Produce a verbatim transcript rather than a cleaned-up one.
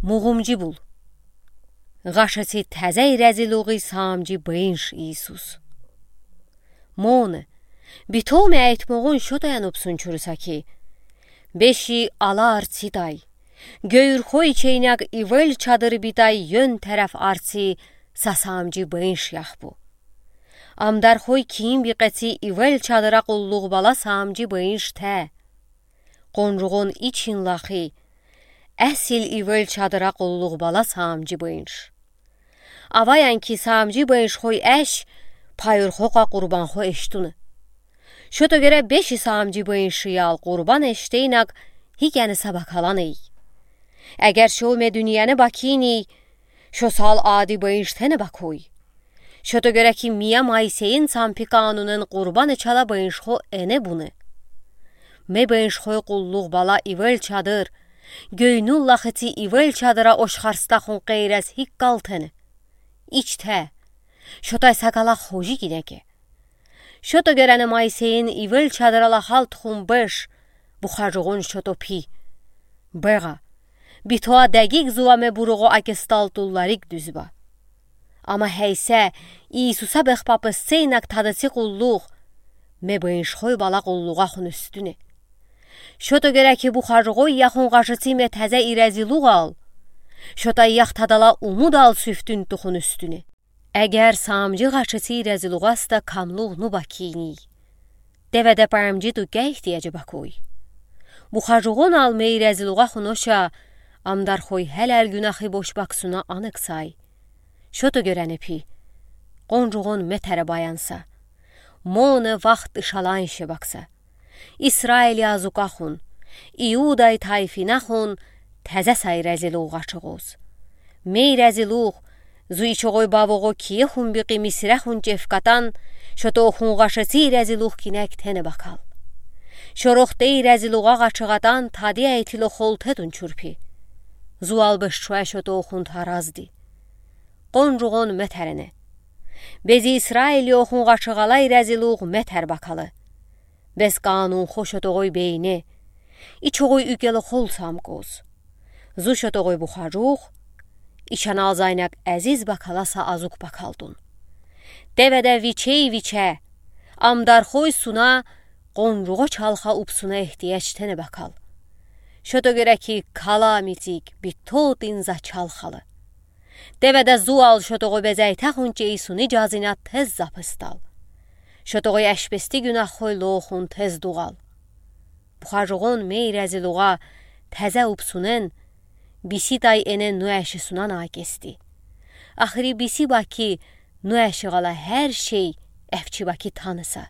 Мугумжи бул. Ğaşıtsi təzə irəziluği saamcı bıyınş İisus. Monı, bito me aytmoğun şotoyan upsun çurusa ki, beşi ala artsidəy, göyürxo içeynək ivel çadır bitəy yön tərəf artsi sa saamcı bıyınş yahbu. Amdarxoy kiyin biqətsi ivel çadıra qulluq bala saamcı bıyınş tə. Qoncuğon için laxi, əsil ivel çadıra qulluq bala saamcı bıyınş. Avayan ki saamcı bıyınşxoy əş, payurxoqa qurbanxo eştunı. Şoto görə beşi saamcı bıyınşı yal qurban eşteynək, hikəni sa bakalanıy. Əgər şo me dünyəni bakiniy, şo sal adi bıyınş təni bakoy. Şoto görə ki miyə Moiseyin çampi kanunən qurban eçala bıyınşxo ene bunı. Me bıyınşxoy qulluq bala ivel çadır, göynül laxıtsi ivel çadıra oşxarstaxun qeyrəz hik qaltəni. İç tə, şotay saqala xoji kinəke. Şoto görəni Moiseyin ivel çadıra laxaltxun bış, buxacuğon şoto pi. Bığa, bitoa dəqiq zuvame buruğo akestaltullarıq düzba. Amma həysə, İisusa bıxpapısseynək tadıtsi qulluq, me bıyınşxoy bala qulluğaxun üstüne. Şoto görə ki buxacuğoy yaxun ğaşıtsi me təzə irəziluğ al, şotay yax tadala umud al süftün tuxun üstüne. Əgər saamcı ğaşıtsi irəziluğasta kamluğ nu bakiniy, dəvədə pəmci tuqə ihtiyacı bakoy. Buxacuğon al me irəziluğaxun oşa, amdarxoy hələ günahı boş baksuna anıq say. Şoto görəni pi, qoncuğon me tərə bayansa, monı vaxt ışalanşe baksa. İsraili azukaxun, İuday tayfinəxun təzə sa irəziluğ ğaçığoz. Me irəziluğ, zu içoğoy bavoğo kiyexun biqi Misirəxun çevkatan, şotoxun ğaşıtsi irəziluğ kinək təni bakal. Şoroxte irəziluğa ğaçığatan tadiyə etilo xoltedun çurpi. Zu albışçuə şotoxun tarazdi. Qoncuğon me tərəne. Bezi İsraili oxun ğaçığala irəziluğ me tər bakalı. Bəs qanunxo şotoğoy beyne, içoğoy ükəlo xol samkoz. Zu şotoğoy buxacuğ, içən alzaynaq əziz bakala sa azuk bakaldun. Dəvədə viçey-viçə, amdarxoy suna, qoncuğo çalxa upsuna ehtiyac təni bakal. Şoto görə ki kala mitik bito tıınza çalxalı. Dəvədə zu al şotoğoy bəzəytəxun çeyisuni cəzinə tez zapıstal. Şotoğoy əşbesti günahxoy loxun tez doğal. Buxacuğon me irəziluğa təzə upsunen, bisi tay ene nu əşi sunan akesti. Axıri bisi baki nu əşi ğala hər şey əvçi baki tanısa.